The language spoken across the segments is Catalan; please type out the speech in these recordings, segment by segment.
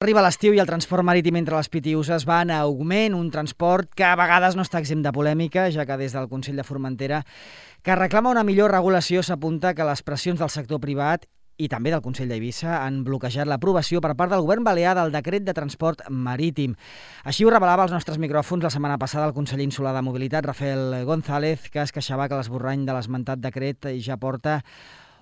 Arriba l'estiu i el transport marítim entre les Pitiüses va en augment, un transport que a vegades no està exempt de polèmica, ja que des del Consell de Formentera, que reclama una millor regulació, s'apunta que les pressions del sector privat i també del Consell d'Eivissa han bloquejat l'aprovació per part del govern balear del decret de transport marítim. Així ho revelava als nostres micròfons la setmana passada el conseller insular de Mobilitat, Rafael González, que es queixava que l'esborrany de l'esmentat decret ja porta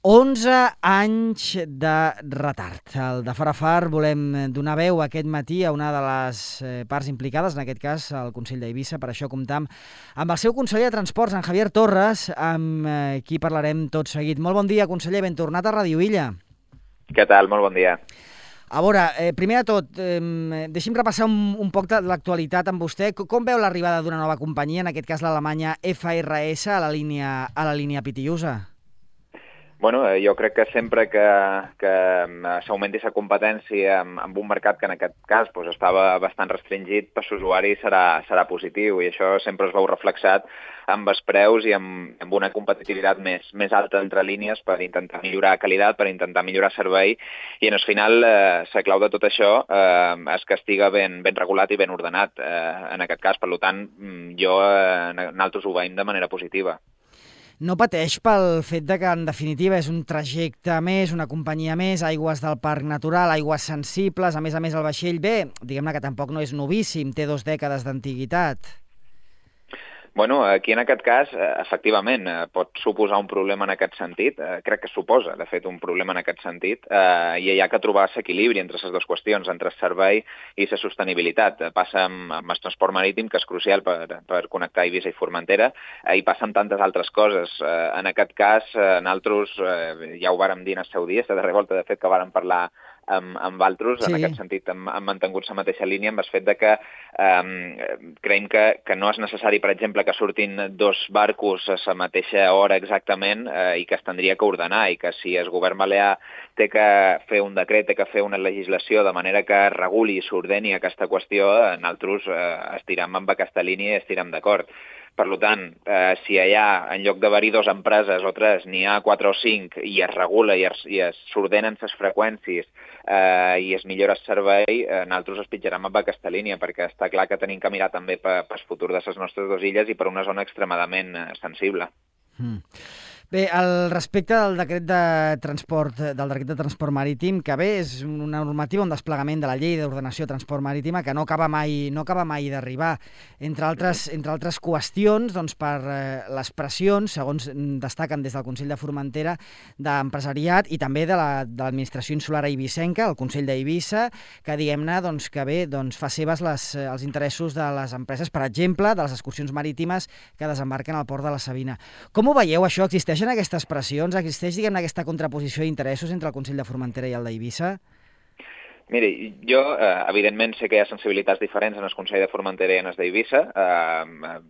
11 anys de retard. El de Fora Far volem donar veu aquest matí a una de les parts implicades, en aquest cas el Consell d'Eivissa. Per això comptam amb el seu conseller de Transports, en Javier Torres, amb qui parlarem tot seguit. Molt bon dia, conseller, ben tornat a Ràdio Illa. Què tal? Molt bon dia. A veure, primer de tot, deixi'm repassar un poc de l'actualitat amb vostè. Com veu l'arribada d'una nova companyia, en aquest cas l'alemanya FRS, a la línia Pitiüsa? Bueno, jo crec que sempre que s'augmenti la competència amb un mercat que en aquest cas estava bastant restringit, per l'usuari serà positiu, i això sempre es veu reflexat amb els preus i amb una competitivitat més alta entre línies per intentar millorar qualitat, per intentar millorar servei, i en el final la clau de tot això és que estiga ben regulat i ben ordenat en aquest cas. Per tant, nosaltres ho veiem de manera positiva. No pateix pel fet de que, en definitiva, és un trajecte més, una companyia més, aigües del Parc Natural, aigües sensibles, a més el vaixell, diguem-ne que tampoc no és novíssim, té 2 dècades d'antiguitat. Bueno, aquí en aquest cas, efectivament, pot suposar un problema en aquest sentit. Crec que suposa, de fet, un problema en aquest sentit, i hi ha que trobar l'equilibri entre les dues qüestions, entre el servei i la sostenibilitat. Passa amb el transport marítim, que és crucial per connectar Eivissa i Formentera, i passa amb tantes altres coses. En aquest cas, nosaltres ja ho vàrem dir en el seu dia, la darrera volta, de fet, que vàrem parlar amb altres, sí. En aquest sentit hem mantingut la mateixa línia amb el fet de que creiem que no és necessari, per exemple, que surtin 2 barcos a la mateixa hora exactament i que es tindria que ordenar, i que si el govern balear té que fer un decret, té que fer una legislació de manera que reguli i s'ordeni aquesta qüestió, nosaltres estirem amb aquesta línia i estirem d'acord. Per tant, si allà, en lloc d'haver-hi 2 empreses o 3, n'hi ha 4 o 5 i es regula i s'ordenen les freqüències i es millora el servei, nosaltres es pitjarem amb aquesta línia, perquè està clar que tenim que mirar també pel futur de les nostres 2 illes i per una zona extremadament sensible. Bé, al respecte del decret de transport marítim, que bé, és una normativa, un desplegament de la llei d'ordenació de transport marítima que no acaba mai d'arribar. Entre altres qüestions, doncs, per les pressions, segons destaquen des del Consell de Formentera, d'empresariat i també de l'administració insular eivissenca, el Consell d'Eivissa, que diguem-ne que bé, fa seves els interessos de les empreses, per exemple, de les excursions marítimes que desembarquen al port de la Sabina. Com ho veieu, això? Existeixen aquestes pressions? Existeix, diguem-ne, aquesta contraposició d'interessos entre el Consell de Formentera i el d'Eivissa? Miri, jo, evidentment, sé que hi ha sensibilitats diferents en el Consell de Formentera i en el d'Eivissa,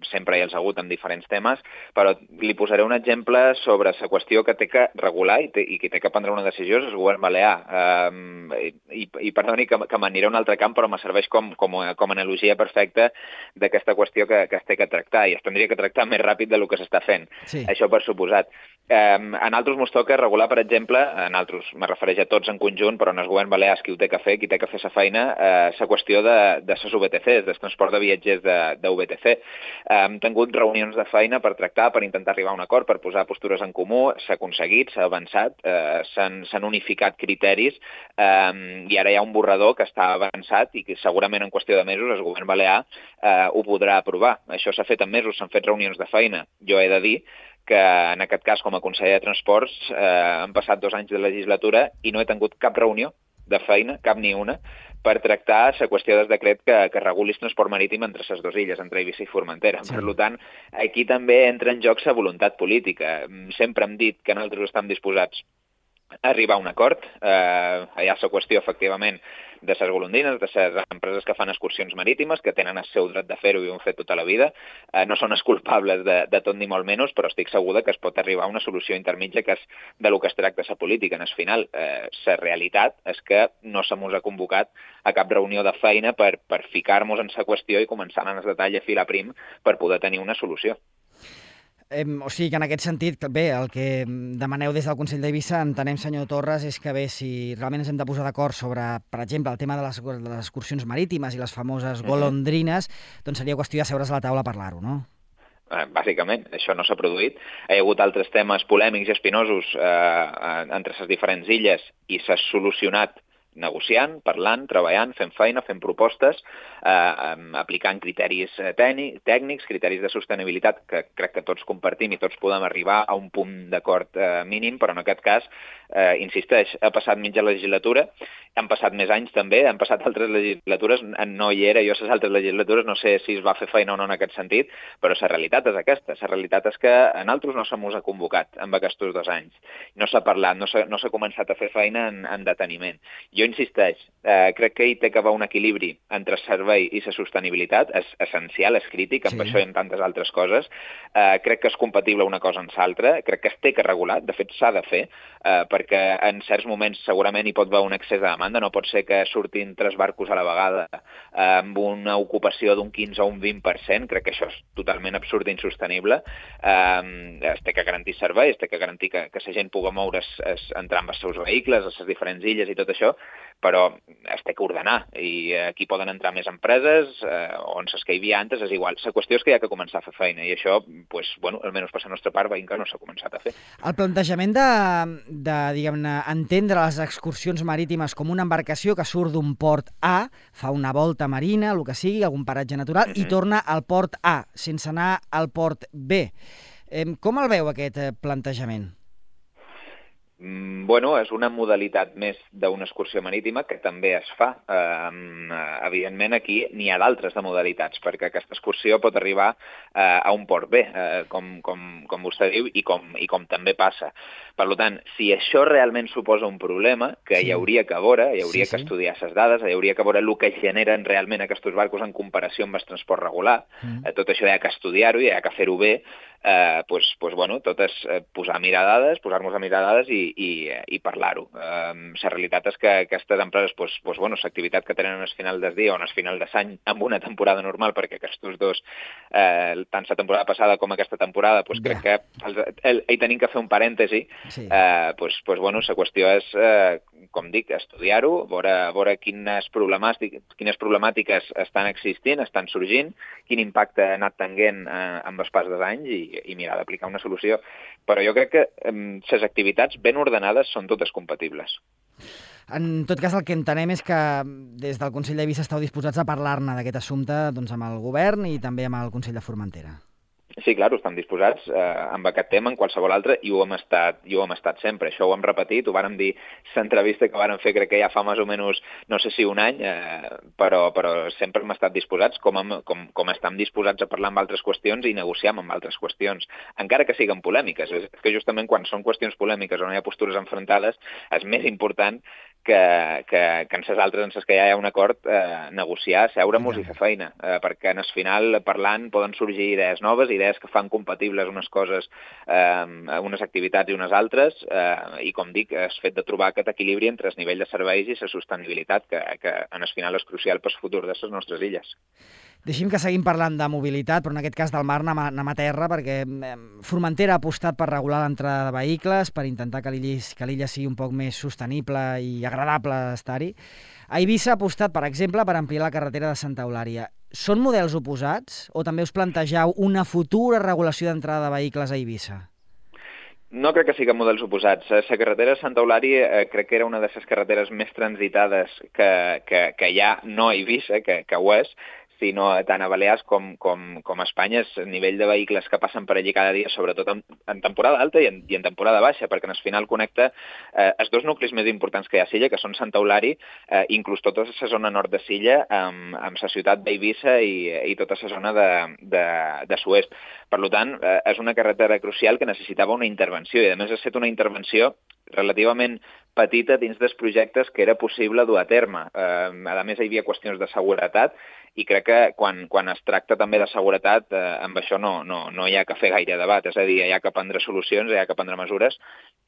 sempre hi ha hagut amb diferents temes, però li posaré un exemple sobre la qüestió que té que regular i que té que prendre una decisió és el govern balear. I perdoni que m'aniré a un altre camp, però me serveix com a analogia perfecta d'aquesta qüestió que es té que tractar, i es tindria que tractar més ràpid del que s'està fent. Sí. Això per suposat. A nosaltres ens toca regular, per exemple, a nosaltres, me refereix a tots en conjunt, però no és govern balear qui ho té que fer, qui té que fer la feina, la qüestió de les VTCs, del transport de viatgers de VTC. Hem tingut reunions de feina per tractar, per intentar arribar a un acord, per posar postures en comú, s'ha aconseguit, s'ha avançat, s'han unificat criteris, i ara hi ha un borrador que està avançat i que segurament en qüestió de mesos el govern balear ho podrà aprovar. Això s'ha fet en mesos, s'han fet reunions de feina. Jo he de dir que en aquest cas, com a conseller de Transports, han passat 2 anys de legislatura i no he tingut cap reunió de feina, cap ni una, per tractar la qüestió del decret que reguli el transport marítim entre les 2 illes, entre Eivissa i Formentera. Sí. Per tant, aquí també entra en joc la voluntat política. Sempre hem dit que nosaltres estem disposats a arribar a un acord. Hi ha la qüestió, efectivament, de les golondrines, de les empreses que fan excursions marítimes, que tenen el seu dret de fer-ho i ho han fet tota la vida. No són els culpables de tot ni molt menys, però estic segura que es pot arribar a una solució intermitja, que és de lo que es tracta la política. En el final, la realitat és que no se mos ha convocat a cap reunió de feina per ficar-nos en la qüestió i començar en el detall a filar prim per poder tenir una solució. O sigui que en aquest sentit, bé, el que demaneu des del Consell d'Eivissa, entenem, senyor Torres, és que bé, si realment ens hem de posar d'acord sobre, per exemple, el tema de les excursions marítimes i les famoses golondrines, doncs seria qüestió de seure's a la taula a parlar-ho, no? Bàsicament, això no s'ha produït. Hi ha hagut altres temes polèmics i espinosos entre les diferents illes i s'ha solucionat negociant, parlant, treballant, fent feina, fent propostes, aplicant criteris tècnics, criteris de sostenibilitat que crec que tots compartim i tots podem arribar a un punt d'acord mínim, però en aquest cas, insisteix, ha passat mitja legislatura, han passat més anys també, han passat altres legislatures, no hi era jo a les altres legislatures, no sé si es va fer feina o no en aquest sentit, però la realitat és aquesta, la realitat és que a nosaltres no se mos ha convocat en aquests 2 anys, no s'ha parlat, no s'ha començat a fer feina en deteniment. Jo insisteix, crec que hi té que haver un equilibri entre servei i la sostenibilitat, és essencial, és crític, amb això i amb tantes altres coses. Crec que és compatible una cosa amb l'altra, crec que es té que regular, de fet s'ha de fer, perquè en certs moments segurament hi pot haver un excés de demanda, no pot ser que surtin 3 barcos a la vegada amb una ocupació d'un 15 o un 20%, crec que això és totalment absurd i insostenible. Es té que garantir servei, es té que garantir que la gent pugui moure's, entrar amb els seus vehicles, a les diferents illes i tot això, però es té que ordenar i aquí poden entrar més empreses on les que hi havia antes és igual. La qüestió és que hi ha que començar a fer feina i això, pues, bueno, almenys per la nostra part veiem que no s'ha començat a fer. El plantejament de diguem-ne, entendre les excursions marítimes com una embarcació que surt d'un port A, fa una volta marina, el que sigui, algun paratge natural, i torna al port A, sense anar al port B. Com el veu aquest plantejament? Bueno, és una modalitat més d'una excursió marítima que també es fa. Evidentment, aquí n'hi ha d'altres de modalitats, perquè aquesta excursió pot arribar a un port B, com vostè diu, i com també passa. Per tant, si això realment suposa un problema, que hi hauria que veure, hi hauria que estudiar les dades, hi hauria que veure el que generen realment aquests barcos en comparació amb el transport regular, tot això hi ha que estudiar-ho i hi ha que fer-ho bé, bueno, tot és posar-nos a mirar dades i parlar-ho. La realitat és que aquestes empreses, bueno, l'activitat que tenen al final del dia o al final de l'any amb una temporada normal, perquè aquests 2, tant la temporada passada com aquesta temporada, crec que hi tenim que fer un parèntesi. Bueno, la qüestió és, com dic, estudiar-ho, veure quines problemàtiques estan existint, estan sorgint, quin impacte ha anat tenint amb el pas dels anys i mirar d'aplicar una solució. Però jo crec que les activitats ben ordenades són totes compatibles. En tot cas, el que entenem és que des del Consell d'Eivissa esteu disposats a parlar-ne d'aquest assumpte amb el govern i també amb el Consell de Formentera. Sí, clar, estem disposats amb aquest tema, en qualsevol altre, i ho hem estat sempre. Això ho hem repetit, ho vàrem dir l'entrevista que vàrem fer, crec que ja fa més o menys, no sé si un any, però sempre hem estat disposats, com estem disposats a parlar amb altres qüestions i negociar amb altres qüestions, encara que siguin polèmiques. És que justament quan són qüestions polèmiques on hi ha postures enfrontades, és més important que en les altres, en les que ja hi ha un acord, negociar, seure-nos i fer feina, perquè al final, parlant, poden sorgir idees noves, idees que fan compatibles unes coses, unes activitats i unes altres, i com dic, és fet de trobar aquest equilibri entre el nivell de serveis i la sostenibilitat, que en el final és crucial pel futur de les nostres illes. Deixi'm que seguim parlant de mobilitat, però en aquest cas del mar anem a terra, perquè Formentera ha apostat per regular l'entrada de vehicles, per intentar que l'illa sigui un poc més sostenible i agradable estar-hi. Eivissa ha apostat, per exemple, per ampliar la carretera de Santa Eulària. Són models oposats o també us plantegeu una futura regulació d'entrada de vehicles a Eivissa? No crec que siguin models oposats. La carretera de Santa Eulària crec que era una de les carreteres més transitades que hi ha, no a Eivissa, que ho és, sinó tant a Balears com a Espanya, és el nivell de vehicles que passen per allí cada dia, sobretot en temporada alta i en temporada baixa, perquè al final connecta els 2 nuclis més importants que hi ha a Silla, que són Santa Eulària, inclús tota la zona nord de Silla, amb la ciutat d'Eivissa i tota la zona de Suez. Per tant, és una carretera crucial que necessitava una intervenció, i a més ha estat una intervenció relativament petita dins dels projectes que era possible dur a terme. A més, hi havia qüestions de seguretat i crec que quan es tracta també de seguretat, amb això no hi ha que fer gaire debat, és a dir, hi ha que prendre solucions, hi ha que prendre mesures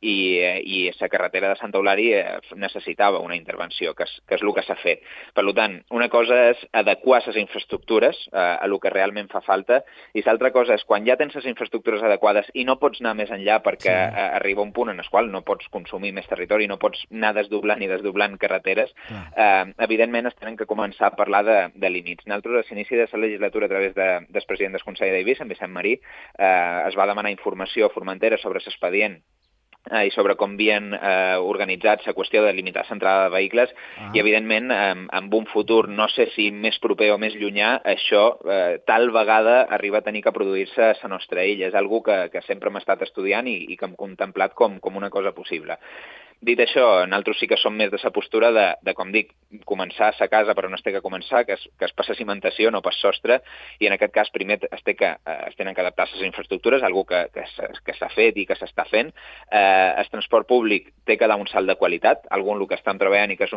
i la carretera de Santa Eulària necessitava una intervenció, que és el que s'ha fet. Per tant, una cosa és adequar les infraestructures a el que realment fa falta i l'altra cosa és quan ja tens les infraestructures adequades i no pots anar més enllà perquè arriba un punt en el qual no pots consumir més territori, no pots anar desdoblant i desdoblant carreteres, evidentment es tenen que començar a parlar de límits. Nosaltres, a l'inici de la legislatura, a través del president del Consell d'Eivissa, en Vicent Marí, es va demanar informació a Formentera sobre l'expedient i sobre com havien organitzat la qüestió de limitar l'entrada de vehicles i, evidentment, en un futur, no sé si més proper o més llunyà, això tal vegada arriba a tenir que produir-se a la nostra illa. És una cosa que sempre hem estat estudiant i que hem contemplat com una cosa possible. Dit això, nosaltres sí que som més de la postura de, com dic, començar a la casa per on es té que començar, que és per la cimentació, no per sostre, i en aquest cas primer es tenen que adaptar les infraestructures, algo que s'ha fet i que s'està fent. El transport públic té que dar un salt de qualitat, algun el que estem treballant i que és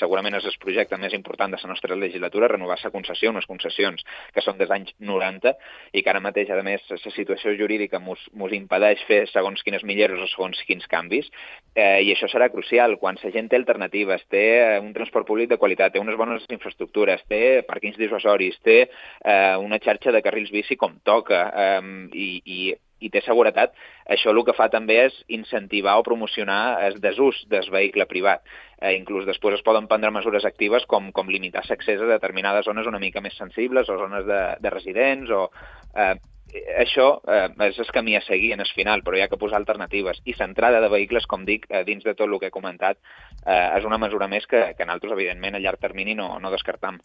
segurament és el projecte més important de la nostra legislatura, renovar la concessió, unes concessions que són dels anys 90 i que ara mateix, a més, la situació jurídica mos impedeix fer segons quines millores o segons quins canvis, i això serà crucial. Quan la gent té alternatives, té un transport públic de qualitat, té unes bones infraestructures, té pàrquings dissuasoris, té una xarxa de carrils bici com toca i té seguretat, això el que fa també és incentivar o promocionar el desús del vehicle privat. Inclús després es poden prendre mesures actives com limitar l'accés a determinades zones una mica més sensibles o zones de residents o... Això és el camí a seguir en el final, però hi ha que posar alternatives. I l'entrada de vehicles, com dic, dins de tot el que he comentat, és una mesura més que nosaltres, evidentment, a llarg termini no descartam.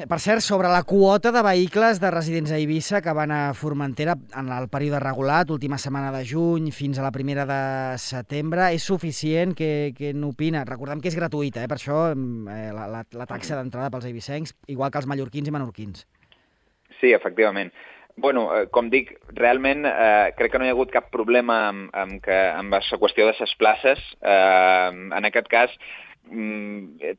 Per cert, sobre la quota de vehicles de residents a Eivissa que van a Formentera en el període regulat, última setmana de juny fins a la primera de setembre, és suficient? Què n'opina? Recordem que és gratuïta, per això la taxa d'entrada pels eivissencs, igual que els mallorquins i menorquins. Sí, efectivament. Bueno, com dic, realment crec que no hi ha hagut cap problema amb la qüestió de les places. En aquest cas,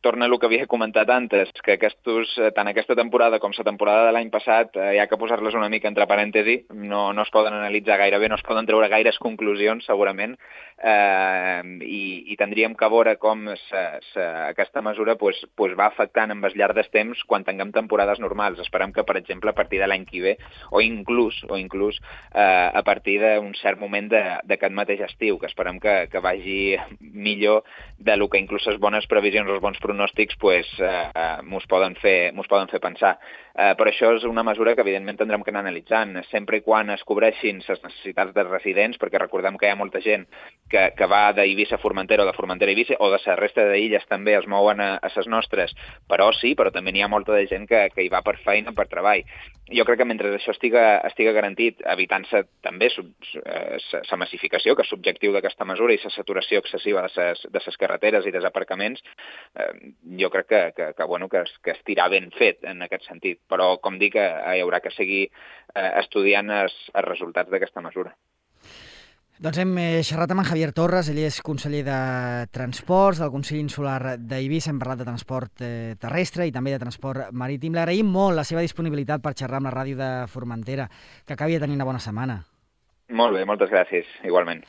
torna a el que havia comentat antes, que tant aquesta temporada com la temporada de l'any passat hi ha que posar-les una mica entre parèntesi, no es poden analitzar gaire bé, no es poden treure gaires conclusions, segurament, i tindríem que veure com aquesta mesura va afectant amb el llarg del temps quan tinguem temporades normals. Esperem que, per exemple, a partir de l'any que ve, o inclús a partir d'un cert moment d'aquest mateix estiu, que esperem que vagi millor del que inclús les bones previsions, els bons pronòstics, mos poden fer pensar. Però això és una mesura que, evidentment, tindrem que anar analitzant, sempre i quan es cobreixin les necessitats dels residents, perquè recordem que hi ha molta gent que va d'Eivissa a Formentera o de Formentera a Eivissa, o de la resta d'illes també es mouen a les nostres, però també n'hi ha molta de gent que hi va per feina, per treball. Jo crec que mentre això estiga garantit, evitant-se també la massificació, que és l'objectiu d'aquesta mesura, i la saturació excessiva de les carreteres i dels aparcaments, jo crec que estirà ben fet en aquest sentit. Però, com dic, hi haurà que seguir estudiant els resultats d'aquesta mesura. Doncs hem xerrat amb en Javier Torres, ell és conseller de Transports del Consell Insular d'Eivissa, hem parlat de transport terrestre i també de transport marítim. L'agraïm molt la seva disponibilitat per xerrar amb la ràdio de Formentera. Que acabi de tenir una bona setmana. Molt bé, moltes gràcies, igualment.